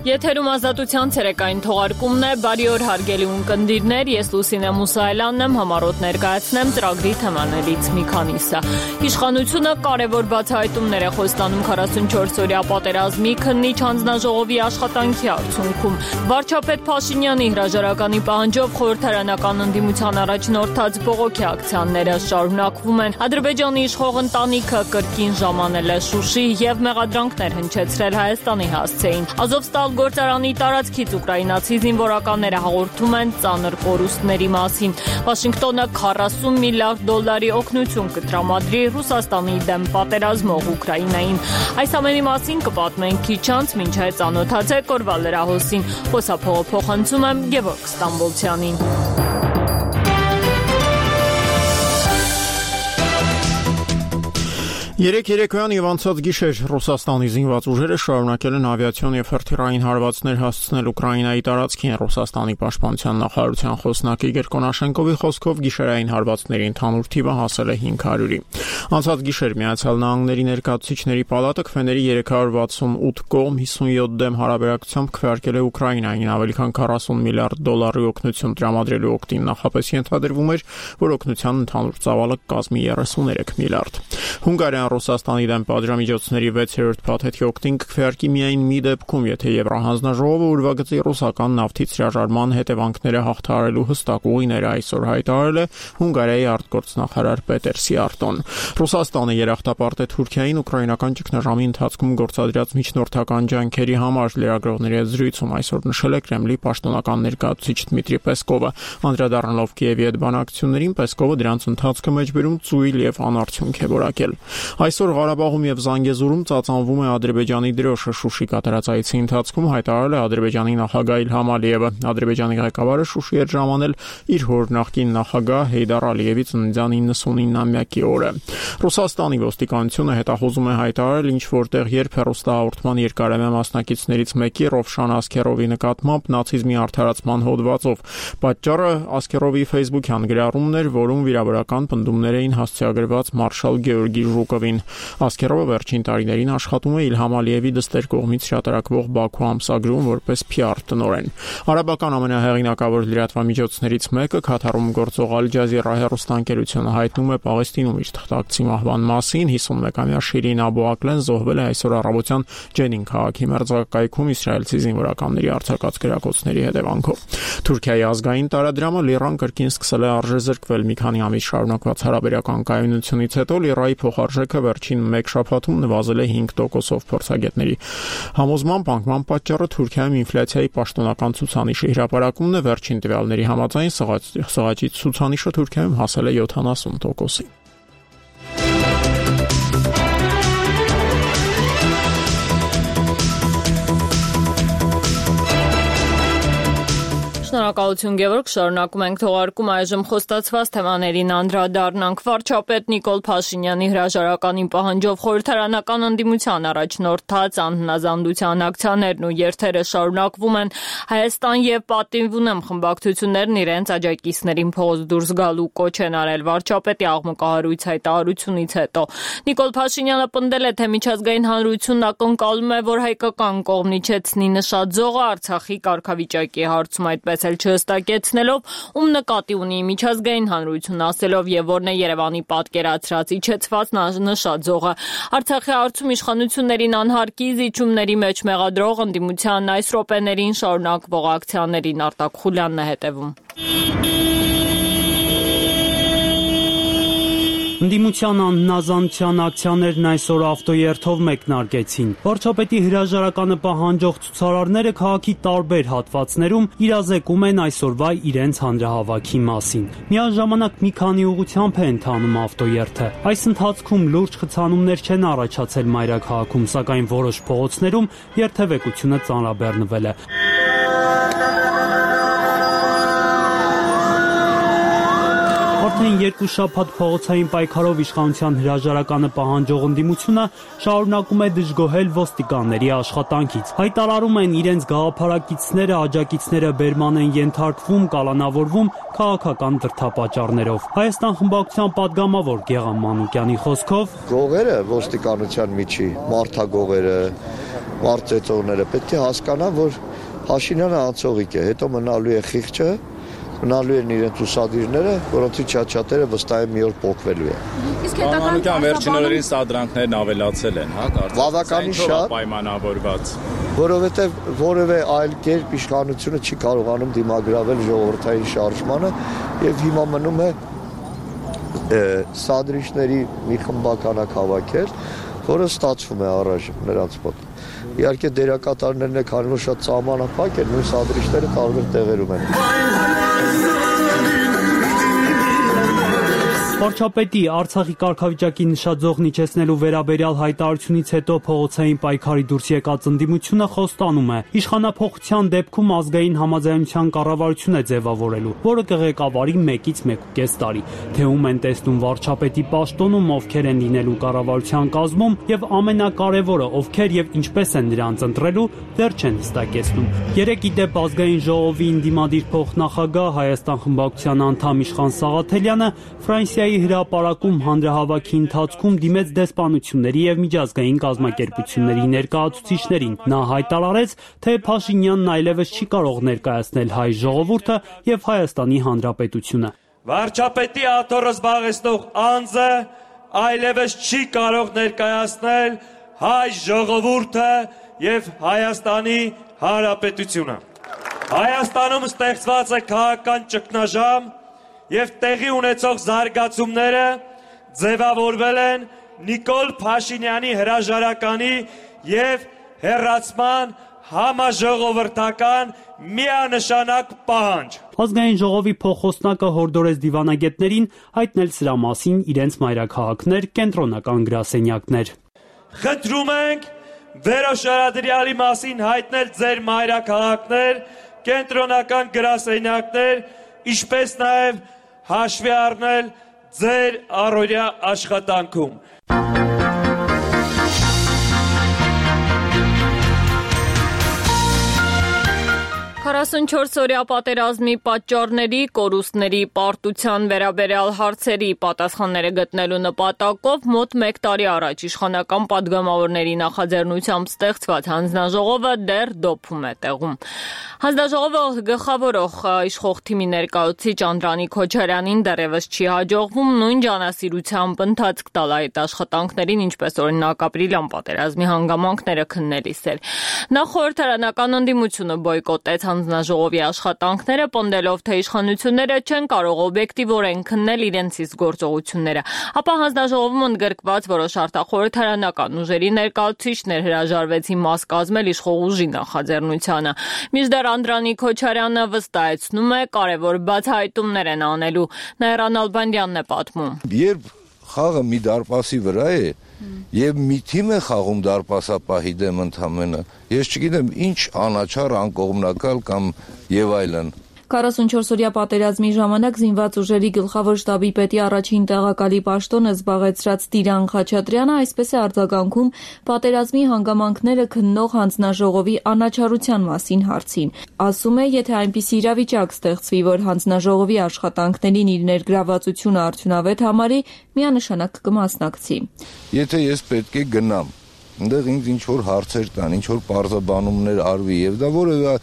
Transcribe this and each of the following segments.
Եթերում ազատության ցերեկային թողարկումն է, բարի օր հարգելի ունկնդիրներ, ես Լուսինե Մուսայելյանն եմ, համառոտ ներկայացնեմ ծրագրի թեմաներից մի քանիսը։ Իշխանությունը կարևոր բացահայտումներ է խոստանում 44-օրյա պատերազմի քննիչ հանձնաժողովի աշխատանքի արդյունքում։ Վարչապետ Փաշինյանի հրաժարականի պահանջով խորհրդարանական ընդդիմության առաջնորդած բողոքի ակցիաները շարունակվում են։ Ադրբեջանի իշխող ընտանիքը կրկին ժամանել է Շուշի եւ մեղադրանքներ հնչեցրել Հայաստանի հասցեին։ Ազովստալ գործարանի տարածքից ուկրաինացի զինվորականները հաղորդում են ծանր կորուստների մասին։ Վաշինգտոնը 40 միլիարդ դոլարի օգնություն կտրամադրի Ռուսաստանի դեմ պատերազմող Ուկրաինային։ Այս ամենի մասին կպատմենք քիչ անց, մինչ այդ ծանոթացեք օրվա լրահոսին։ Խոսափողը փոխանցում եմ Գևորգ Ստամբոլցյանին։ Երեք երեկոյան եւ անցած գիշեր Ռուսաստանի զինված ուժերը շարունակել են ավիացիոն եւ հրթիռային հարվածներ հասցնել Ուկրաինայի տարածքին։ Ռուսաստանի պաշտպանության նախարարության խոսնակ Իգոր Կոնաշենկովի խոսքով գիշերային հարվածների ընդհանուր թիվը հասել է 500-ի։ Անցած գիշեր Միացյալ Նահանգների ներկայացուցիչների պալատը քվեների 368 կողմ 57 դեմ հարաբերակցությամբ քվեարկել է Ուկրաինային ավելի քան 40 միլիարդ դոլարի օգնություն տրամադրելու օգտին նախապես ենթադրվում էր, որ օգնության ընդհանուր ծավալը կազմի 33 միլիարդ։ Հունգարիան Ռուսաստանի դեմ պատժամիջոցների 6-րդ փաթեթի օգտին կքվեարկի միայն մի դեպքում, եթե Եվրահանձնաժողովը ուրվագծի ռուսական նավթից հրաժարման հետևանքները հաղթահարելու հստակ ուղիները այսօր հայտարարել է Հունգարիայի արտգործնախարար Պետեր Սիարտոն։ Ռուսաստանը երախտապարտ է Թուրքիային ուկրաինական ճգնաժամի ընթացքում գործադրած միջնորդական ջանքերի համար լրագրողների հետ զրույցում այսօր նշել է Կրեմլի պաշտոնական ներկայացուցիչ Դմիտրի Պեսկովը։ Անդրադառնալով Կիևի հետ բանակցություններին Պեսկովը դրանց ընթացքը մեջբերում ծույլ եւ անարդյունք է որակել։ Այսօր Ղարաբաղում եւ Զանգեզուրում ծածանվում է Ադրբեջանի դրոշը։ Շուշի կատարած այցի ընթացքում հայտարարել է Ադրբեջանի նախագահ Իլհամ Ալիևը։ Ադրբեջանի ղեկավարը Շուշի էր ժամանել իր հոր նախկին նախագահ Հեյդար Ալիևի ծննդյան 99-ամյակի օրը։ Ռուսաստանի ոստիկանությունը հետախուզում է հայտարարել ինչ որտեղ երբ հեռուստահաղորդման երկարամյա մասնակիցներից մեկի Ռովշան Ասքերովի նկատմամբ նացիզմի արդարացման հոդվածով։ Պատճառը Ասքերովի Facebook-յան գրառումն էր, որում վիրավորական պնդումներ էին հասցեագրված մարշալ Գեորգի Ժուկովին։ Ասքերովը վերջին տարիներին աշխատում է Իլհամ Ալիևի դստեր կողմից հրատարակվող Բաքու ամսագրում որպես PR տնօրեն։ Արաբական ամենահեղինակավոր լրատվամիջոցներից մեկը Քաթարում գործող Ալ Ջազիրա հեռուստաընկերությունը հայտնում է Պաղեստինում իր թղթակցի մահվան մասին։ 51-ամյա Շիրին Աբու Ակլեն զոհվել է այսօր առավոտյան Ջենին քաղաքի մերձակայքում իսրայելցի զինվորականների արձակած գրակոծների հետևանքով։ Թուրքիայի ազգային տարադրամը Լիռան կրկին սկսել է արժեզրկվել։ Մի քանի ամիս շարունակված հարաբերական կայունությունից հետո Լիռայի փոխարժեքը վերջին մեկ շաբաթում նվազել է 5%-ով փորձագետների համոզմամբ անկման պատճառը Թուրքիայում ինֆլյացիայի պաշտոնական ցուցանիշի հրապարակումն է։ Վերջին տվյալների համաձայն սղաճի ցուցանիշը Թուրքիայում հասել է 70%-ի։ Շնորհակալություն Գևորգ, շարունակում ենք թողարկում այժմ խոստացված թեմաներին անդրադառնանք։ Վարչապետ Նիկոլ Փաշինյանի հրաժարականի պահանջով խորհրդարանական ընդդիմության առաջնորդած անհնազանդության ակցիաներն ու երթերը շարունակվում են։ Հայաստան եւ Պատիվ ունեմ խմբակցություններն իրենց աջակիցներին փողոց դուրս գալու կոչ են արել վարչապետի աղմկահարույց հայտարարությունից հետո։ Նիկոլ Փաշինյանը պնդել է, թե միջազգային հանրությունն ակնկալում է, որ հայկական կողմն իջեցնի նշաձողը Արցախի կարգավիճակի հարցում, այդպես էլ չհստակեցնելով, ում նկատի ունի միջազգային հանրությունն ասելով եւ որն է Երևանի պատկերացրած իջեցված նշաձողը։ Արցախի հարցում իշխանություններին անհարկի զիջումների մեջ մեղադրող ընդդիմության այս րոպեներին շարունակվող ակցիաներին Արտակ Խուլյանն է հետևում։ Ընդդիմության անհնազանդության ակցիաներն այսօր ավտոերթով մեկնարկեցին։ Վարչապետի հրաժարականը պահանջող ցուցարարները քաղաքի տարբեր հատվածներում իրազեկում են այսօրվա իրենց հանրահավաքի մասին։ Միաժամանակ մի քանի ուղղությամբ է ընթանում ավտոերթը։ Այս ընթացքում լուրջ խցանումներ չեն առաջացել մայրաքաղաքում, սակայն որոշ փողոցներում երթևեկությունը ծանրաբեռնվել է։ Արդեն 2 շաբաթ փողոցային պայքարով իշխանության հրաժարականը պահանջող ընդդիմությունը շարունակում է դժգոհել ոստիկանների աշխատանքից։ Հայտարարում են իրենց գաղափարակիցները, աջակիցները բերման են ենթարկվում, կալանավորվում քաղաքական դրդապատճառներով։ Հայաստան խմբակցության պատգամավոր Գեղամ Մանուկյանի խոսքով գողերը ոստիկանության միջի մարդագողերը մարդ ծեծողները պետք է հասկանան, որ Փաշինյանը անցողիկ է, հետո մնալու է խիղճը, մնալու են իրենց ուսադիրները, որոնցից շատ-շատերը վստահ եմ մի օր փոխվելու են։ Իսկ հետագայում վերջին օրերին սադրանքներն ավելացել են, հա, բավականին շատ պայմանավորված, որովհետև որևէ այլ կերպ իշխանությունը չի կարողանում դիմագրավել ժողովրդային շարժմանը եւ հիմա մնում է սադրիչների մի խմբականակ հավաքել, որը ստացվում է առայժմ նրանց մոտ։ Իհարկե դերակատարներն է, քանի որ շատ սահմանափակ են, նույն սադրիչները տարբեր տեղերում են։ Վարչապետի Արցախի կարգավիճակի նշաձողն իջեցնելու վերաբերյալ հայտարարությունից հետո փողոցային պայքարի դուրս եկած ընդդիմությունը խոստանում է իշխանափոխության դեպքում ազգային համաձայնության կառավարություն է ձևավորելու, որը կղեկավարի 1-ից 1.5 տարի։ Թե ում են տեսնում վարչապետի պաշտոնում, ովքեր են լինելու կառավարության կազմում եւ ամենակարևորը ովքեր եւ ինչպես են նրանց ընտրելու, դեռ չեն հստակեցնում։ Երեկ ի դեպ ազգային ժողովի ընդդիմադիր փոխնախագահ Հայաստան խմբակցության անդամ Իշխան Սաղաթելյանը Ֆրանսիայի հրապարակում հանրահավաքի ընթացքում դիմեց դեսպանությունների եւ միջազգային կազմակերպությունների ներկայացուցիչներին։ Նա հայտարարեց, թե Փաշինյանն այլևս չի կարող ներկայացնել հայ ժողովուրդը եւ Հայաստանի Հանրապետությունը։ Վարչապետի աթոռը զբաղեցնող անձը այլևս չի կարող ներկայացնել հայ ժողովուրդը եւ Հայաստանի Հանրապետությունը։ Հայաստանում ստեղծված է քաղաքական ճգնաժամ եւ տեղի ունեցող զարգացումները ձևավորվել են Նիկոլ Փաշինյանի հրաժարականի եւ հեռացման համաժողովրդական միանշանակ պահանջ։ Ազգային ժողովի փոխոսնակը հորդորեց դիվանագետներին հայտնել սրա մասին իրենց մայրաքաղաքներ, կենտրոնական գրասենյակներ։ Խնդրում ենք վերոշարադրյալի մասին հայտնել ձեր մայրաքաղաքներ, կենտրոնական գրասենյակներ, ինչպես նաև հաշվի առնել ձեր առօրյա աշխատանքում։ 44-օրյա պատերազմի պատճառների, կորուստների, պարտության վերաբերյալ հարցերի պատասխանները գտնելու նպատակով մոտ 1 տարի առաջ իշխանական падգամավորների նախաձեռնությամբ ստեղծված հանձնաժողովը դեռ դոփում է տեղում։ Հանձնաժողովը գլխավորող իշխող թիմի ներկայացուցիչ Անդրանիկ Քոչարյանին դեռևս չի հաջողվում նույն ջանասիրությամբ ընթացք տալ այդ աշխատանքներին, ինչպես օրինակ ապրիլյան պատերազմի հանգամանքները քննելիս էր։ Նախ խորհրդարանական ընդդիմությունը բոյկոտեց հանձնաժողովի աշխատանքները, պնդելով, թե իշխանությունները չեն կարող օբյեկտիվորեն քննել իրենց իսկ գործողությունները։ Ապա հանձնաժողովում ընդգրկված որոշ արտախորհրդարանական ուժերի ներկայացուցիչներ հրաժարվեցին մաս կազմել իշխող ուժի նախաձեռնությանը։ Մինչդեռ Անդրանիկ Քոչարյանը վստահեցնում է, կարևոր բացահայտումներ են անելու։ Նաիրա Նալբանդյանն է պատմում։ Երբ խաղը մի դարպասի վրա է եւ մի թիմ է խաղում դարպասապահի դեմ ընդամենը, ես չգիտեմ ինչ անաչառ, անկողմնակալ կամ եւ այլն։ 44-օրյա պատերազմի ժամանակ զինված ուժերի գլխավոր շտաբի պետի առաջին տեղակալի պաշտոնը զբաղեցրած Տիրան Խաչատրյանը այսպես է արձագանքում պատերազմի հանգամանքները քննող հանձնաժողովի անաչառության մասին հարցին։ Ասում է, եթե այնպիսի իրավիճակ ստեղծվի, որ հանձնաժողովի աշխատանքներին իր ներգրավվածությունը արդյունավետ համարի, միանշանակ կմասնակցի։ Եթե ես պետք է գնամ, այնտեղ ինձ ինչ որ հարցեր տան, ինչ որ պարզաբանումներ արվի եւ դա որևէ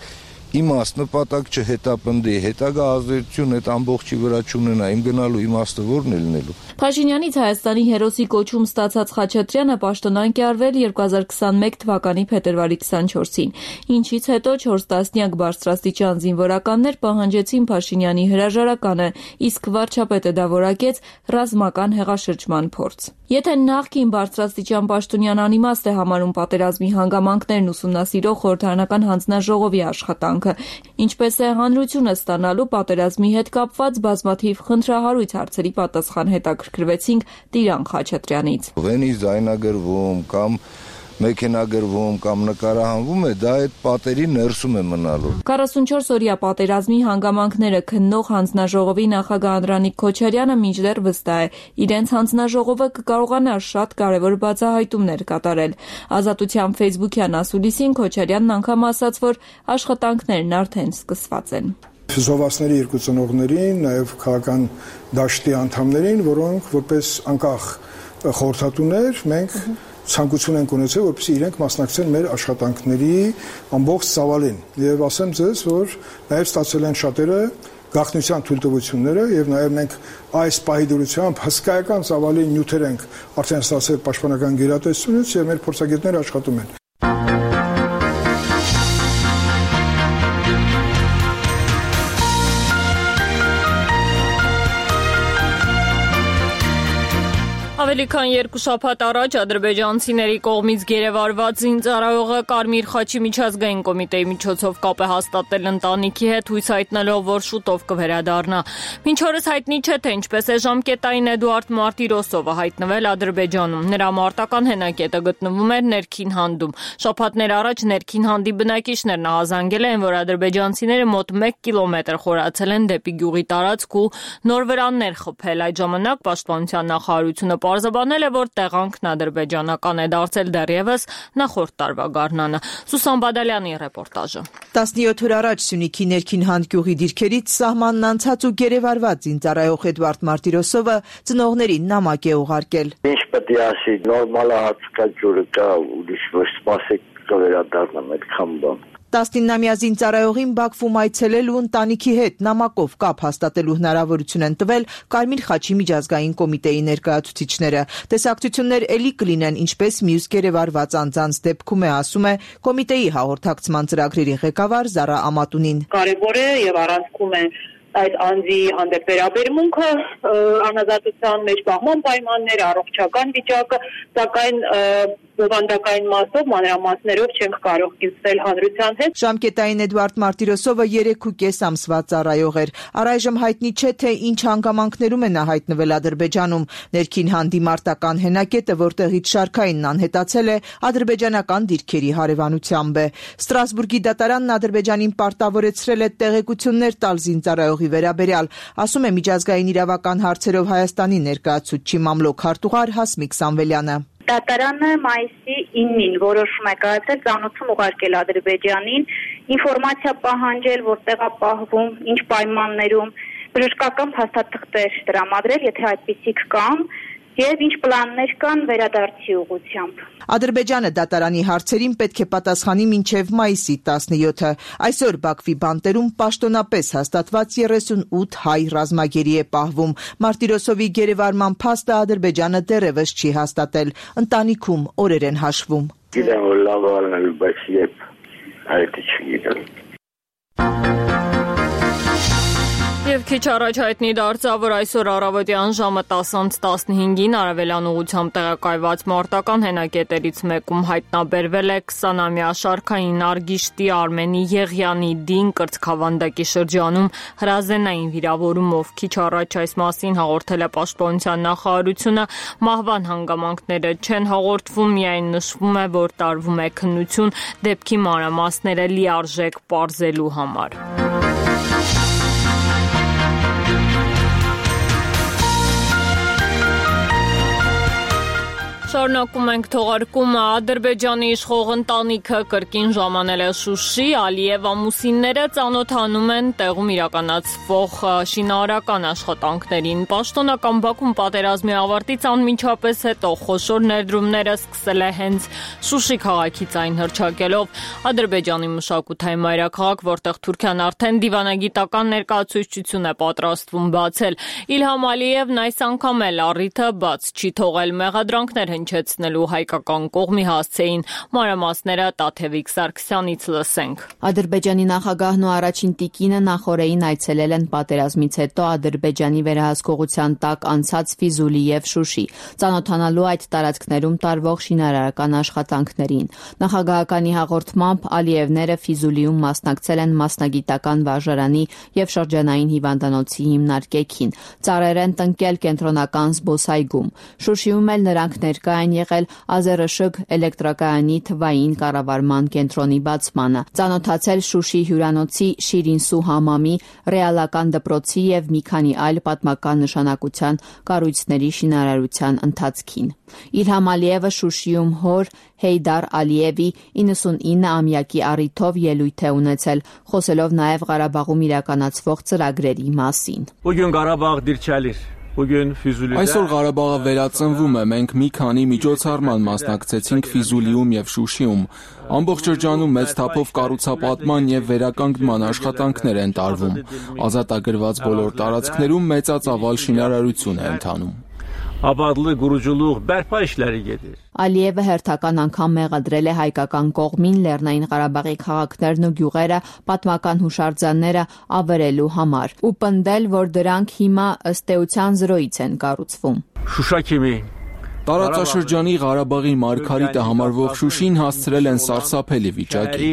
իմաստ նպատակ չհետապնդի, հետագա ազդեցություն այդ ամբողջի վրա չունենա, իմ գնալու իմաստը որն է լինելու։ Փաշինյանից Հայաստանի հերոսի կոչում ստացած Խաչատրյանը պաշտոնանկ է արվել 2021 թվականի փետրվարի 24-ին, ինչից հետո 4 տասնյակ բարձրաստիճան զինվորականներ պահանջեցին Փաշինյանի հրաժարականը, իսկ վարչապետը դա որակեց ռազմական հեղաշրջման փորձ։ Եթե նախկին բարձրաստիճան պաշտոնյան անիմաստ է համարում պատերազմի հանգամանքներն ուսումնասիրող խորհրդարանական հանձնաժողովի աշխատանքը, ինչպես է հանրությունը ստանալու պատերազմի հետ կապված բազմաթիվ խնդրահարույց հարցերի պատասխան հետաքրքրվեցինք Տիրան Խաչատրյանից։ Վենի զայնագրվում կամ մեքենագրվում կամ նկարահանվում է, դա այդ պատերի ներսում է մնալու։ 44-օրյա պատերազմի հանգամանքները քննող հանձնաժողովի նախագահ Անդրանիկ Քոչարյանը մինչդեռ վստահ է, իրենց հանձնաժողովը կկարողանա շատ կարևոր բացահայտումներ կատարել։ Ազատության ֆեյսբուքյան ասուլիսին Քոչարյանն անգամ ասաց, որ աշխատանքներն արդեն սկսված են։ Զովասների երկու ծնողներին, նաև քաղաքական դաշտի անդամներին, որոնք որպես անկախ խորհրդատուներ մենք ցանկություն ենք ունեցել, որպեսզի իրենք մասնակցեն մեր աշխատանքների ամբողջ ծավալին։ Եվ ասեմ ձեզ, որ նաև ստացել են շատերը գաղտնիության թույլտվությունները եւ նաև մենք այս պահի դրությամբ հսկայական ծավալի նյութեր ենք արդեն ստացել պաշտպանական գերատեսչությունից եւ մեր փորձագետները աշխատում են։ Ավելի քան 2 շաբաթ առաջ ադրբեջանցիների կողմից գերեվարված զինծառայողը Կարմիր խաչի միջազգային կոմիտեի միջոցով կապ է հաստատել ընտանիքի հետ, հույս հայտնելով, որ շուտով կվերադառնա։ Մինչ օրս հայտնի չէ, թե ինչպես է ժամկետային Էդուարդ Մարտիրոսովը հայտնվել Ադրբեջանում։ Նրա մարտական հենակետը գտնվում էր Ներքին Հանդում։ Շաբաթներ առաջ Ներքին Հանդի բնակիչներն ահազանգել են, որ ադրբեջանցիները մոտ 1 կիլոմետր խորացել են դեպի գյուղի տարածք ու նոր վրաններ խփել։ Այդ ժամանակ Պաշտպանության նախարարությունը պարզաբանել է, որ տեղանքն ադրբեջանական է դարձել դեռևս նախորդ տարվա գարնանը։ Սուսան Բադալյանի ռեպորտաժը։ 17 օր առաջ Սյունիքի Ներքին Հանդ գյուղի դիրքերից սահմանն անցած ու գերեվարված զինծառայող Էդուարդ Մարտիրոսովը ծնողներին նամակ է ուղարկել։ Ինչ պետք է ասի, նորմալ հացկա ջուրը կա, ուրիշ ոչ սպասեք կվերադառնամ այդքան բան։ 19-ամյա զինծառայողին Բաքվում այցելել ու ընտանիքի հետ նամակով կապ հաստատելու հնարավորություն են տվել Կարմիր խաչի միջազգային կոմիտեի ներկայացուցիչները։ Տեսակցություններ էլի կլինեն, ինչպես մյուս գերեվարված անձանց դեպքում է, ասում է կոմիտեի հաղորդակցման ծրագրերի ղեկավար Զարա Ամատունին։ Կարևոր է եւ առանցքում է այդ անձի հանդեպ վերաբերմունքը, անազատության մեջ պահման պայմանները, առողջական վիճակը, սակայն բովանդակային մասով, մանրամասներով չենք կարող կիսվել հանրության հետ։ Ժամկետային Էդուարդ Մարտիրոսովը 3.5 ամսվա ծառայող էր։ Առայժմ հայտնի չէ, թե ինչ հանգամանքներում է նա հայտնվել Ադրբեջանում։ Ներքին Հանդի մարտական հենակետը, որտեղից շարքայինն անհետացել է, ադրբեջանական դիրքերի հարևանությամբ է։ Ստրասբուրգի դատարանն Ադրբեջանին պարտավորեցրել է տեղեկություններ տալ զինծառայողի վերաբերյալ, ասում է միջազգային իրավական հարցերով Հայաստանի ներկայացուցիչ մամլոք հարտուղար Հասմիկ Սամվելյանը։ Դատարանը մայիսի 9-ին որոշում է կայացել ծանոթում ուղարկել Ադրբեջանին, ինֆորմացիա պահանջել, որտեղ է պահվում, ինչ պայմաններում, բժշկական փաստաթղթեր տրամադրել, եթե այդպիսիք կան, եւ ինչ պլաններ կան վերադարձի ուղղությամբ։ Ադրբեջանը դատարանի հարցերին պետք է պատասխանի մինչև մայիսի 17-ը։ Այսօր Բաքվի բանտերում պաշտոնապես հաստատված 38 հայ ռազմագերի է պահվում։ Մարտիրոսովի գերեվարման փաստը Ադրբեջանը դեռևս չի հաստատել։ Ընտանիքում օրեր են հաշվում։ Գիտեմ, որ լավ ալնել, բայց երբ այդ չգիտեմ։ Եվ քիչ առաջ հայտնի դարձավ, որ այսօր առավոտյան ժամը 10:15-ին արևելյան ուղղությամբ տեղակայված մարտական հենակետերից մեկում հայտնաբերվել է 20-ամյա շարքային Արգիշտի Արմենի Եղյանի Դին կրծքավանդակի շրջանում հրազենային վիրավորումով։ Քիչ առաջ այս մասին հաղորդել է Պաշտպանության նախարարությունը, մահվան հանգամանքները չեն հաղորդվում, միայն նշվում է, որ տարվում է քննություն դեպքի մանրամասները լիարժեք պարզելու համար։ Շարունակում ենք թողարկումը։ Ադրբեջանի իշխող ընտանիքը կրկին ժամանել է Շուշի, Ալիև ամուսինները ծանոթանում են տեղում իրականացվող շինարարական աշխատանքներին։ Պաշտոնական Բաքուն պատերազմի ավարտից անմիջապես հետո խոշոր ներդրումները սկսել է հենց Շուշի քաղաքից այն հռչակելով։ Ադրբեջանի մշակութային մայրաքաղաք, որտեղ Թուրքիան արդեն դիվանագիտական ներկայացուցչություն է պատրաստվում բացել։ Իլհամ Ալիևն այս անգամ էլ առիթը բաց չի թողել, մեղադրանքներ հնչեցնելու հայկական կողմի հասցեին։ Մանրամասները Տաթևիկ Սարգսյանից լսենք։ Ադրբեջանի նախագահն ու առաջին տիկինը նախօրեին այցելել են պատերազմից հետո Ադրբեջանի վերահսկողության տակ անցած Ֆիզուլի եւ Շուշի, ծանոթանալու այդ տարածքներում տարվող շինարարական աշխատանքներին։ Նախագահականի հաղորդմամբ Ալիևները Ֆիզուլիում մասնակցել են մասնագիտական վարժարանի եւ շրջանային հիվանդանոցի հիմնարկեքին, ծառեր են տնկել կենտրոնական զբոսայգում։ Շուշիում էլ նրանք ներկա են եղել Ազերշգ էլեկտրակայանի թվային կառավարման կենտրոնի բացմանը, ծանոթացել Շուշի հյուրանոցի Շիրինսու համամի, ռեալական դպրոցի եւ մի քանի այլ պատմական նշանակության կառույցների շինարարության ընթացքին։ Իլհամ Ալիևը Շուշիում հոր Հեյդար Ալիևի 99-ամյակի առիթով ելույթ է ունեցել, խոսելով նաև Ղարաբաղում իրականացվող ծրագրերի մասին։ Bugün Qarabağ dirçəlir. Այսօր Ղարաբաղը վերածնվում է, մենք մի քանի միջոցառման մասնակցեցինք Ֆիզուլիում եւ Շուշիում։ Ամբողջ շրջանում մեծ թափով կառուցապատման եւ վերականգնման աշխատանքներ են տարվում։ Ազատագրված բոլոր տարածքներում մեծածավալ շինարարություն է ընթանում։ Ալիևը հերթական անգամ մեղադրել է հայկական կողմին Լեռնային Ղարաբաղի քաղաքներն ու գյուղերը պատմական հուշարձանները ավերելու համար ու պնդել, որ դրանք հիմա ըստ էության զրոյից են կառուցվում։ Տարածաշրջանի Ղարաբաղի մարգարիտը համարվող Շուշին հասցրել են սարսափելի վիճակի։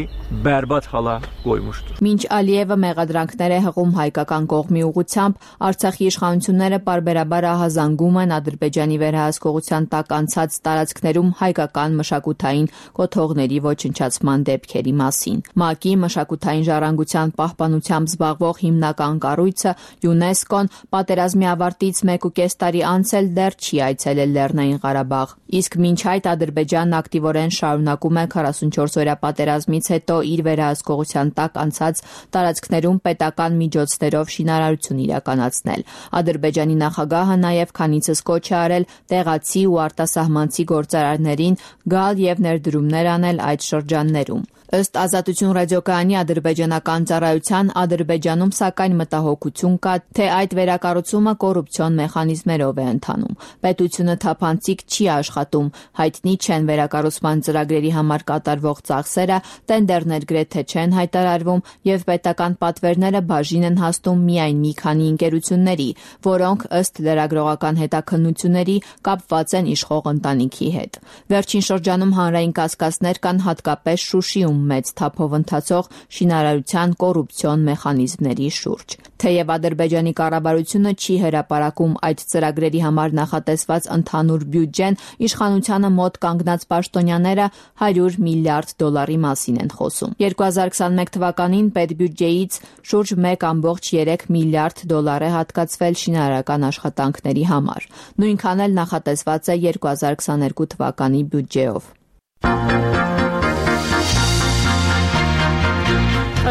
Մինչ Ալիևը մեղադրանքներ է հղում հայկական կողմի ուղղությամբ, Արցախի իշխանությունները պարբերաբար ահազանգում են Ադրբեջանի վերահսկողության տակ անցած տարածքներում հայկական մշակութային կոթողների ոչնչացման դեպքերի մասին։ ՄԱԿ-ի մշակութային ժառանգության պահպանությամբ զբաղվող հիմնական կառույցը ՅՈՒՆԵՍԿՕ-ն պատերազմի ավարտից 1.5 տարի անց էլ դեռ չի այցելել Լեռնային Ղարաբաղ։ Իսկ մինչ այդ Ադրբեջանն ակտիվորեն շարունակում է 44-օրյա պատերազմից հետո իր վերահսկողության տակ անցած տարածքներում պետական միջոցներով շինարարություն իրականացնել։ Ադրբեջանի նախագահը նաև քանիցս կոչ է արել տեղացի ու արտասահմանցի գործարարներին գալ եւ ներդրումներ անել այդ շրջաններում։ Ըստ Ազատություն ռադիոկայանի ադրբեջանական ծառայության Ադրբեջանում սակայն մտահոգություն կա, թե այդ վերակառուցումը կոռուպցիոն մեխանիզմերով է ընթանում։ Պետությունը թափանցիկ չի աշխատում, հայտնի չեն վերակառուցման ծրագրերի համար կատարվող ծախսերը, տենդերներ գրեթե չեն հայտարարվում եւ պետական պատվերները բաժին են հասնում միայն մի քանի ընկերությունների, որոնք ըստ լրագրողական հետաքննությունների կապված են իշխող ընտանիքի հետ։ Վերջին շրջանում հանրային կասկածներ կան հատկապես Շուշիում մեծ թափով ընթացող շինարարության կոռուպցիոն մեխանիզմների շուրջ։ Թեև Ադրբեջանի կառավարությունը չի հրապարակում այդ ծրագրերի համար նախատեսված ընդհանուր բյուջեն, իշխանությանը մոտ կանգնած պաշտոնյաները $100 միլիարդ մասին են խոսում։ 2021 թվականին պետբյուջեից շուրջ $1.3 միլիարդ է հատկացվել շինարարական աշխատանքների համար։ Նույնքան էլ նախատեսված է 2022 թվականի բյուջեով։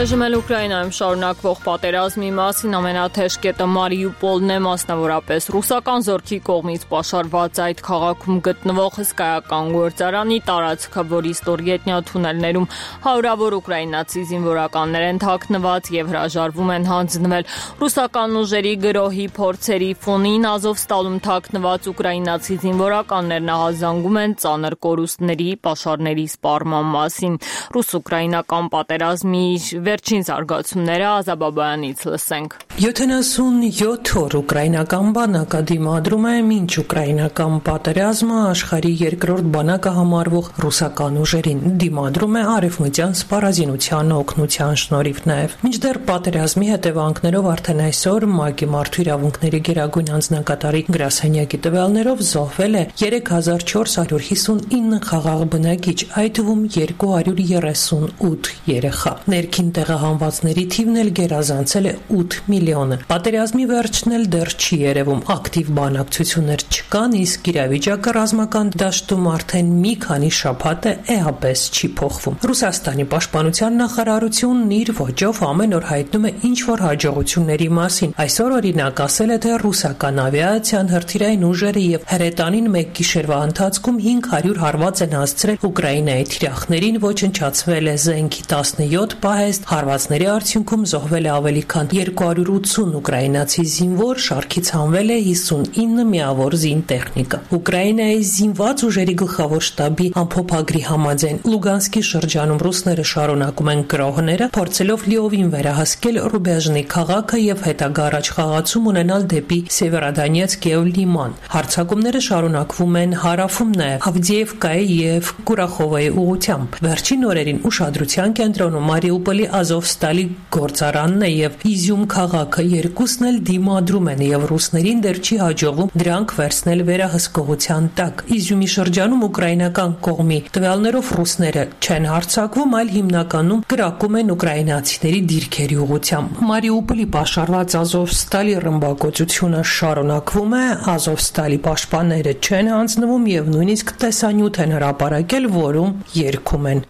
Այժմ էլ Ուկրաինայում շարունակվող պատերազմի մասին ամենաթեժ կետը Մարիուպոլն է, մասնավորապես ռուսական զորքի կողմից պաշարված այդ քաղաքում գտնվող հսկայական գործարանի տարածքը, որի ստորգետնյա թունելներում հարյուրավոր ուկրաինացի զինվորականներ են թաքնված եւ հրաժարվում են հանձնվել ռուսական ուժերի գրոհի փորձերի ֆոնին, Ազովստալում թաքնված ուկրաինացի զինվորականներն ահազանգում են ծանր կորուստների, պաշարների սպառման մասին։ Ռուս-ուկրաինական պատերազմի վերջին զարգացումները Ազաբաբայանից լսենք։ 77 օր ուկրաինական բանակը դիմադրում է մինչ ուկրաինական պատերազմը աշխարհի երկրորդ բանակը համարվող ռուսական ուժերին դիմադրում է արևմտյան սպառազինության օգնության շնորհիվ նաև։ Մինչդեռ պատերազմի հետևանքներով արդեն այսօր ՄԱԿ-ի մարդու իրավունքների գերագույն անձնակատարի գրասենյակի տվյալներով զոհվել է 3459 խաղաղ բնակիչ, այդ թվում 238 երեխա։ Ներքին տեղահանվածների թիվն էլ գերազանցել է 8 միլիոնը։ Պատերազմի վերջն էլ դեռ չի երևում, ակտիվ բանակցություններ չկան, իսկ իրավիճակը ռազմական դաշտում արդեն մի քանի շաբաթ է էապես չի փոխվում։ Ռուսաստանի պաշտպանության նախարարությունն իր ոճով ամեն օր հայտնում է ինչ-որ հաջողությունների մասին։ Այսօր օրինակ ասել է, թե ռուսական ավիացիան, հրթիռային ուժերը եւ հրետանին մեկ գիշերվա ընթացքում 500 հարված են հասցրել Ուկրաինայի թիրախներին, ոչնչացվել է զենքի 17 պահեստ, հարվածների արդյունքում զոհվել է ավելի քան 280 ուկրաինացի զինվոր, շարքից հանվել է 59 միավոր զինտեխնիկա։ Ուկրաինայի զինված ուժերի գլխավոր շտաբի ամփոփագրի համաձայն Լուգանսկի շրջանում ռուսները շարունակում են գրոհները, փորձելով լիովին վերահսկել Ռուբեժնի քաղաքը եւ հետագա առաջխաղացում ունենալ դեպի Սևերոդոնեցկ եւ Լիման։ Հարձակումները շարունակվում են հարավում նաեւ Ավդիևկայի եւ Կուրախովայի ուղղությամբ։ Վերջին օրերին ուշադրության կենտրոնում Մարիուպոլի Ազովստալի գործարանն է եւ Իզյում քաղաքը, երկուսն էլ դիմադրում են եւ ռուսներին դեռ չի հաջողվում դրանք վերցնել վերահսկողության տակ։ Իզյումի շրջանում ուկրաինական կողմի տվյալներով ռուսները չեն հարձակվում, այլ հիմնականում կրակում են ուկրաինացիների դիրքերի ուղղությամբ։ Մարիուպոլի պաշարված Ազովստալի ռմբակոծությունը շարունակվում է, Ազովստալի պաշտպանները չեն հանձնվում եւ նույնիսկ տեսանյութ են հրապարակել, որում երգում են.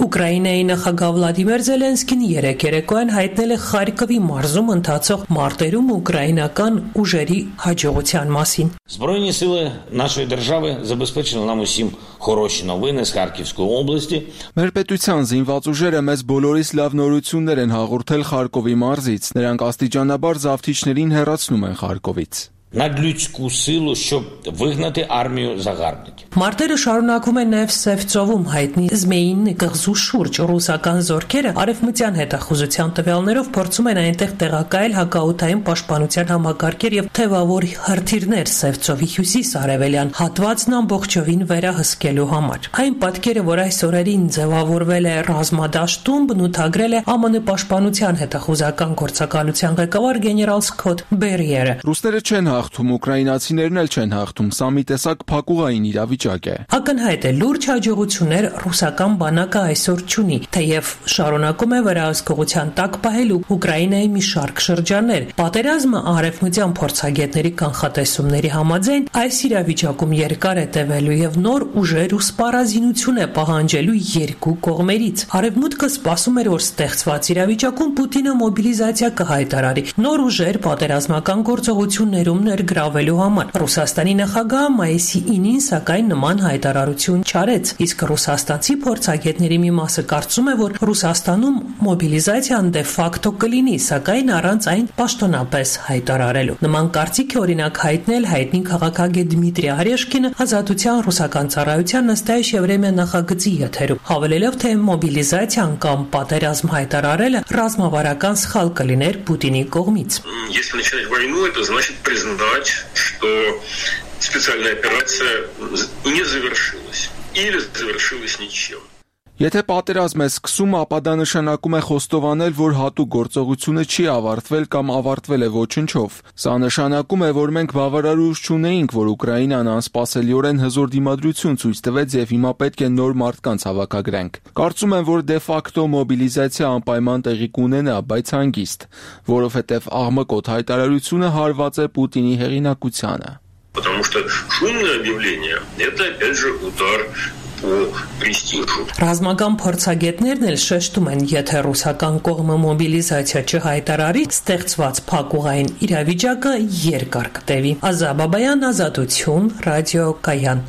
Ուկրաինայի նախագահ Վլադիմիր Զելենսկին երեկոյան հայտնել է Խարկովի մարզում ընթացող մարտերում ուկրաինական ուժերի հաջողության մասին։ Збройні сили нашої держави забезпечили нам усім хороші новини з Харківської області. Մեր պետության զինված ուժերը մեզ բոլորիս լավ նորություններ են հաղորդել Խարկովի մարզից։ Նրանք աստիճանաբար զավթիչներին հեռացնում են Խարկովից։ Надлюдську силу, щоб вигнати армію загарбників. Մարտերը շարունակում են նաև Սևծովում հայտնի Զմեյինի կղզու շուրջ ռուսական զորքերը արևմտյան հետախուզության տվյալներով փորձում են այնտեղ տեղակայել հակաօդային պաշտպանության համակարգեր եւ թևավոր հրթիռներ Սևծովի հյուսիս-արևելյան հատվածն ամբողջովին վերահսկելու համար։ Այն պատկերը, որ այս օրերին ձևավորվել է ռազմադաշտում, բնութագրել է ԱՄՆ պաշտպանության հետախուզական գործակալության ղեկավար գեներալ Սքոթ Բերիերը։ Ռուսները չեն հաղթում, ուկրաինացիներն էլ չեն հաղթում, սա մի տեսակ փակուղային իրավիճակ է։ Ակնհայտ է լուրջ հաջողություններ ռուսական բանակը այսօր չունի, թեև շարունակում է վերահսկողության տակ պահելու Ուկրաինայի մի շարք շրջաններ։ Պատերազմը արևմտյան փորձագետների կանխատեսումների համաձայն այս իրավիճակում երկար է տևելու եւ նոր ուժեր ու սպառազինություն է պահանջելու երկու կողմերից։ Արևմուտքը սպասում էր, որ ստեղծված իրավիճակում Պուտինը մոբիլիզացիա կհայտարարի նոր ուժեր պատերազմական գործողություններում ներգրավելու համար։ Ռուսաստանի նախագահը մայիսի 9-ին սակայն նման հայտարարություն չարեց, իսկ ռուսաստանցի փորձագետների մի մասը կարծում է, որ Ռուսաստանում մոբիլիզացիան դե ֆակտո կլինի, սակայն առանց այն պաշտոնապես հայտարարելու։ Նման կարծիք է օրինակ հայտնել հայտնի քաղաքագետ Դմիտրի Արեշկինը Ազատության ռուսական ծառայության «Նստայիշ Եվրեմիա» նախագծի եթերում, հավելելով, թե մոբիլիզացիան կամ պատերազմ հայտարարելը ռազմավարական սխալ կլիներ Պուտինի կողմից։ Если начинать войну, это значит признать, что специальная операция не завершилась или завершилась ничем. Եթե պատերազմ է սկսում, ապա դա նշանակում է խոստովանել, որ հատուկ գործողությունը չի ավարտվել կամ ավարտվել է ոչնչով։ Սա նշանակում է, որ մենք բավարար ուժ չունեինք, որ Ուկրաինան անսպասելիորեն հզոր դիմադրություն ցույց տվեց եւ հիմա պետք է նոր մարդկանց հավաքագրենք։ Կարծում եմ, որ դե ֆակտո մոբիլիզացիա անպայման տեղի կունենա, բայց հանգիստ, որովհետեւ աղմկոտ հայտարարությունը հարված է Պուտինի հեղինակությանը։ Потому что шумное объявление это опять же удар Ռազմական փորձագետներն էլ շեշտում են, եթե ռուսական կողմը մոբիլիզացիա չհայտարարի, ստեղծված փակուղային իրավիճակը երկար կտևի։ Ազաբաբայան, Ազատություն, ռադիոկայան։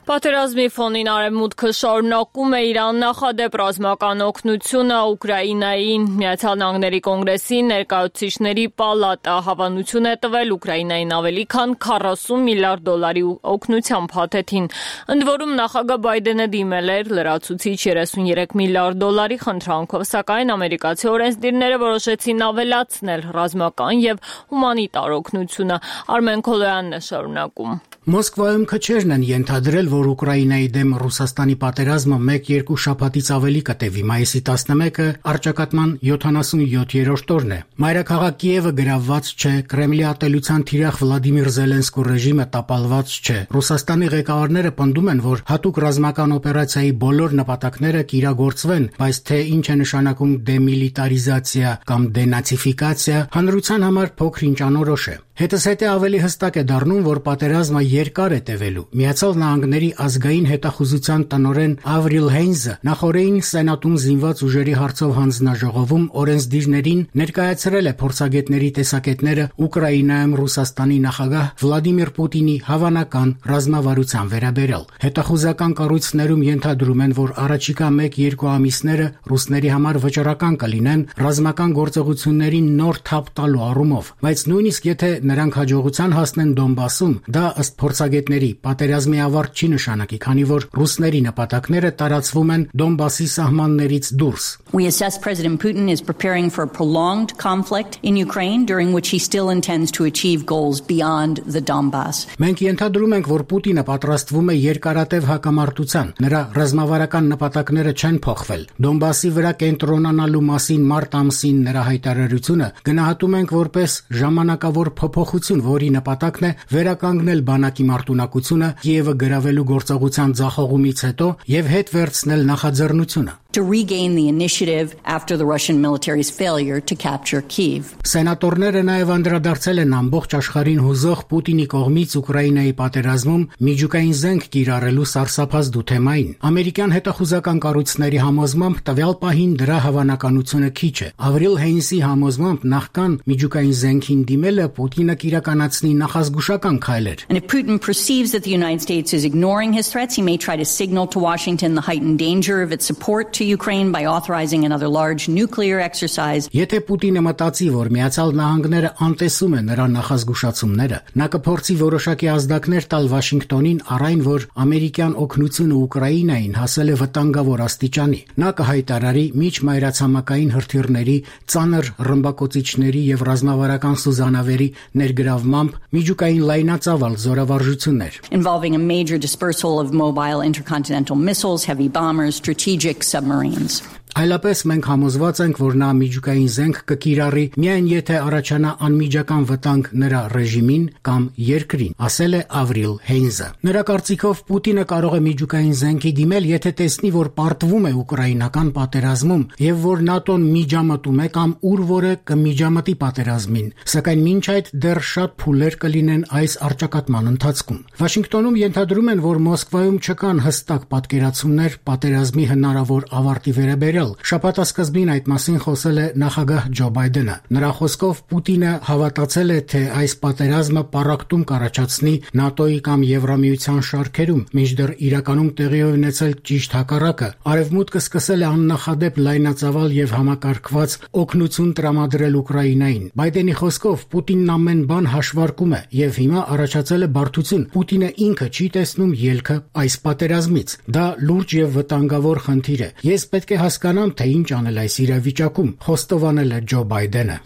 Պատերազմի ֆոնին Արևմուտքը շարունակում է իր աննախադեպ ռազմական օգնությունը Ուկրաինային։ Միացյալ Նահանգների կոնգրեսի ներկայացուցիչների պալատը հավանություն է տվել Ուկրաինային ավելի քան 40 միլիարդ դոլարի օգնության փաթեթին։ Ընդ որում նախագահ Բայդենը դիմել էր լրացուցիչ 33 միլիարդ դոլարի խնդրանքով, սակայն ամերիկացի օրենսդիրները որոշեցին ավելացնել ռազմական եւ հումանիտար օգնությունը։ Արմեն Քոլոյանն է շարունակում։ Մոսկվայում քչերն են ենթադրել, որ Ուկրաինայի դեմ Ռուսաստանի պատերազմը 1-2 շաբաթից ավելի կտևի։ Մայիսի 11-ը առճակատման 77-րդ օրն է։ Մայրաքաղաք Կիևը գրավված չէ, Կրեմլի ատելության թիրախ Վլադիմիր Զելենսկու ռեժիմը տապալված չէ։ Ռուսաստանի ղեկավարները պնդում են, որ հատուկ ռազմական օպերացիայի բոլոր նպատակները կիրագործվեն, բայց թե ինչ է նշանակում դեմիլիտարիզացիա կամ դենացիֆիկացիա, հանրության համար փոքր-ինչ անորոշ է։ Հետզհետե ավելի հստակ է դառնում, որ պատերազմը երկար է տևելու։ Միացյալ Նահանգների ազգային հետախուզության տնօրեն Ավրիլ Հեյնզը նախորդին Սենատում զինված ուժերի հարցով հանձնաժողովում օրենսդիրներին ներկայացրել է փորձագետների տեսակետները Ուկրաինայում Ռուսաստանի նախագահ Վլադիմիր Պուտինի հավանական ռազմավարության վերաբերյալ։ Հետախուզական կառույցներում ենթադրում են, որ առաջիկա 1-2 ամիսները ռուսների համար վճռական կլինեն ռազմական գործողություններին նոր թափ տալու առումով, բայց նույնիսկ եթե նրանք հաջողության հասնեն Դոնբասում, դա ըստ փորձագետների պատերազմի ավարտ չի նշանակի, քանի որ ռուսների նպատակները տարածվում են Դոնբասի սահմաններից դուրս։ We assess President Putin is preparing for a prolonged conflict in Ukraine during which he still intends to achieve goals beyond the Donbass. Մենք ենթադրում ենք, որ Պուտինը պատրաստվում է երկարատև հակամարտության։ Նրա ռազմավարական նպատակները չեն փոխվել։ Դոնբասի վրա կենտրոնանալու մասին մարտ ամսին նրա հայտարարությունը գնահատում ենք որպես ժամանակավոր փոփոխություն, որի նպատակն է վերականգնել բանակի մարտունակությունը Կիևը գրավելու գործողության ձախողումից հետո եւ հետ վերցնել նախաձեռնությունը։ to regain the initiative after the Russian military's failure to capture Kyiv. Սենատորները նաև անդրադարձել են ամբողջ աշխարհին հուզող Պուտինի կողմից Ուկրաինայի պատերազմում միջուկային զենք կիրառելու սարսափազդու թեմային։ Ամերիկյան հետախուզական կառույցների համոզմամբ տվյալ պահին դրա հավանականությունը քիչ է։ Ավրիլ Հեյնսի համոզմամբ նախքան միջուկային զենքին դիմելը Պուտինը կիրականացնի նախազգուշական քայլ էր։ And if Putin perceives that the United States is ignoring his threats, he may try to signal to Washington the heightened danger of its support to Ukraine by authorizing another large nuclear exercise. Եթե Պուտինը մտածի, որ Միացյալ Նահանգները անտեսում է նրա նախազգուշացումները, նա կփորձի որոշակի ազդակներ տալ Վաշինգտոնին առ այն, որ ամերիկյան օգնությունը Ուկրաինային հասել է վտանգավոր աստիճանի։ Նա կհայտարարի միջմայրացամաքային հրթիռների, ծանր ռմբակոծիչների եւ ռազմավարական սուզանավերի ներգրավմամբ միջուկային լայնածավալ զորավարժություններ, involving a major dispersal of mobile intercontinental missiles, heavy bombers, strategic submarines. Այլապես մենք համոզված ենք, որ նա միջուկային զենք կկիրառի միայն եթե առաջանա անմիջական վտանգ նրա ռեժիմին կամ երկրին, ասել է Ավրիլ Հեյնսը։ Նրա կարծիքով Պուտինը կարող է միջուկային զենքի դիմել, եթե տեսնի, որ պարտվում է ուկրաինական պատերազմում եւ որ ՆԱՏՕ-ն միջամտում է կամ ուր որ է կմիջամտի պատերազմին, սակայն մինչ այդ դեռ շատ փուլեր կլինեն այս առճակատման ընթացքում։ Վաշինգտոնում ենթադրում են, որ Մոսկվայում չկան հստակ պատկերացումներ պատերազմի հնարավոր ավարտի վերաբերյալ։ Շաբաթասկզբին այդ մասին խոսել է նախագահ Ջո Բայդենը։ Նրա խոսքով Պուտինը հավատացել է, թե այս պատերազմը պառակտում կառաջացնի ՆԱՏՕ-ի կամ Եվրամիության շարքերում, մինչդեռ իրականում տեղի է ունեցել ճիշտ հակառակը։ Արևմուտքը սկսել է աննախադեպ լայնածավալ եւ համակարգված օգնություն տրամադրել Ուկրաինային։ Բայդենի խոսքով Պուտինն ամեն բան հաշվարկում է եւ հիմա առաջացել է բարդություն։ Պուտինը ինքը չի տեսնում ելքը այս պատերազմից։ Դա լուրջ եւ վտանգավոր խնդիր է։ Ես պետք է հասկանամ, թե ինչ անել այս իրավիճակում, խոստովանել է Ջո Բայդենը։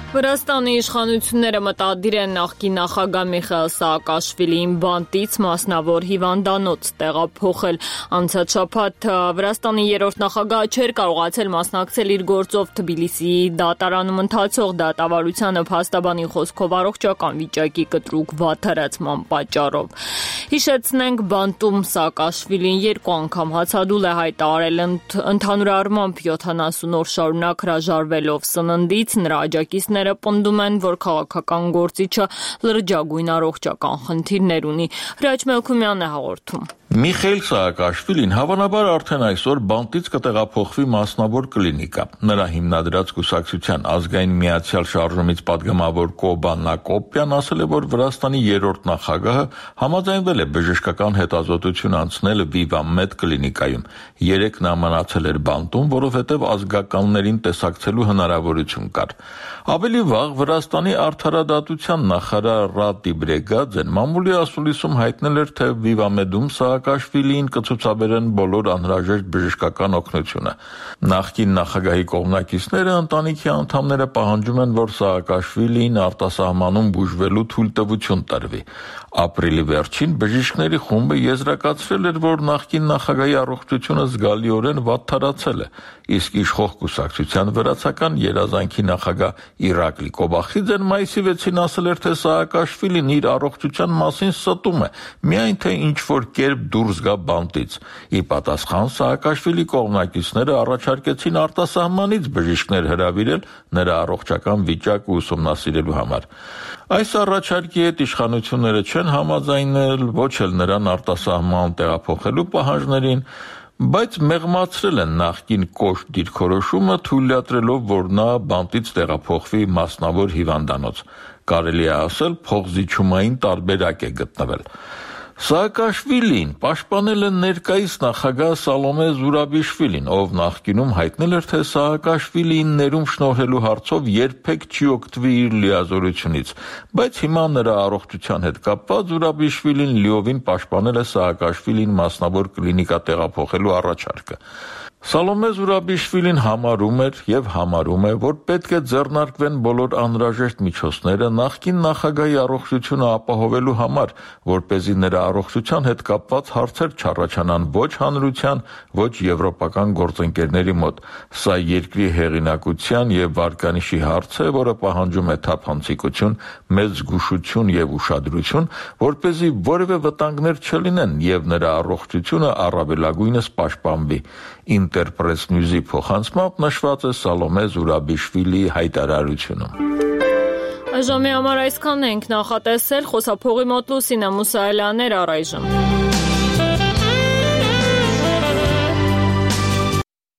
Վրաստանի իշխանությունները մտադիր են նախկին նախագահ Միխայիլ Սաակաշվիլիին բանտից մասնավոր հիվանդանոց տեղափոխել։ Անցած շաբաթ Վրաստանի երրորդ նախագահը չէր կարողացել մասնակցել իր գործով Թբիլիսիի դատարանում ընթացող դատավարությանը փաստաբանի խոսքով առողջական վիճակի կտրուկ վատթարացման պատճառով։ Հիշեցնենք, բանտում Սաակաշվիլին երկու անգամ հացադուլ է հայտարարել ընդհանուր առմամբ 70 օր շարունակ հրաժարվելով սննդից, նրա աջակիցները պնդում են, որ քաղաքական գործիչը լրջագույն առողջական խնդիրներ ունի։ Հրաչ Մելքումյանն է հաղորդում։ Միխայիլ Սաակաշվիլին հավանաբար արդեն այսօր բանտից կտեղափոխվի մասնավոր կլինիկա։ Նրա հիմնադրած կուսակցության ազգային միացյալ շարժումից падգամավոր Կոբան Նակոպյան ասել է, որ Վրաստանի երրորդ նախագահը համաձայնվել է բժշկական հետազոտություն անցնել Վիվամեդ կլինիկայում։ Երեկ նա մնացել էր բանտում, որովհետև ազգականներին տեսակցելու հնարավորություն կար։ Ավելի վաղ Վրաստանի արդարադատության նախարար Ռատի Բրեգաձեն մամուլի ասուլիսում հայտնել էր, թե Վիվամեդում Սաակաշվիլիին կցուցաբերեն բոլոր անհրաժեշտ բժշկական օգնությունը։ Նախկին նախագահի կողմնակիցները ընտանիքի անդամները պահանջում են, որ Սաակաշվիլիին արտասահմանում բուժվելու թույլտվություն տրվի։ Ապրիլի վերջին բժիշկների խումբը եզրակացրել էր, որ նախկին նախագահի առողջությունը զգալիորեն վատթարացել է, իսկ իշխող կուսակցության վրացական երազանքի նախագահ Իրակլի Կոբախիձեն մայիսի 6-ին ասել էր, թե Սաակաշվիլին իր առողջության մասին ստում է, միայն թե ինչ-որ կերպ դուրս գա բանտից։ Ի պատասխան Սաակաշվիլի կողմնակիցները առաջարկեցին արտասահմանից բժիշկներ հրավիրել նրա առողջական վիճակը ուսումնասիրելու համար։ Այս առաջարկի հետ իշխանությունները չեն համաձայնել ոչ էլ նրան արտասահման տեղափոխելու պահանջներին, բայց մեղմացրել են նախկին կոշտ դիրքորոշումը, թույլատրելով, որ նա բանտից տեղափոխվի մասնավոր հիվանդանոց։ Կարելի է ասել, փողզիջումային տարբերակ է գտնվել։ Սաակաշվիլին պաշտպանել է ներկայիս նախագահ Սալոմե Զուրաբիշվիլին, ով նախկինում հայտնել էր, թե Սաակաշվիլիին ներում շնորհելու հարցով երբեք չի օգտվի իր լիազորությունից, բայց հիմա նրա առողջության հետ կապված Զուրաբիշվիլին լիովին պաշտպանել է Սաակաշվիլին մասնավոր կլինիկա տեղափոխելու առաջարկը։ Սալոմե Զուրաբիշվիլին համարում էր եւ համարում է, որ պետք է ձեռնարկվեն բոլոր անհրաժեշտ միջոցները նախկին նախագահի առողջությունը ապահովելու համար, որպեսզի նրա առողջության հետ կապված հարցեր չառաջանան ոչ հանրության, ոչ եվրոպական գործընկերների մոտ։ Սա երկրի հեղինակության եւ վարկանիշի հարց է, որը պահանջում է թափանցիկություն, մեծ զգուշություն եւ ուշադրություն, որպեսզի որևէ վտանգներ չլինեն եւ նրա առողջությունը առավելագույնս պաշտպանվի։ Interpress News-ի փոխանցմամբ նշված է Սալոմե Զուրաբիշվիլի հայտարարությունում։ Այժմի համար այսքանն ենք, նախատեսել խոսափողի մոտ Լուսինե Մուսայելյանն էր առայժմ։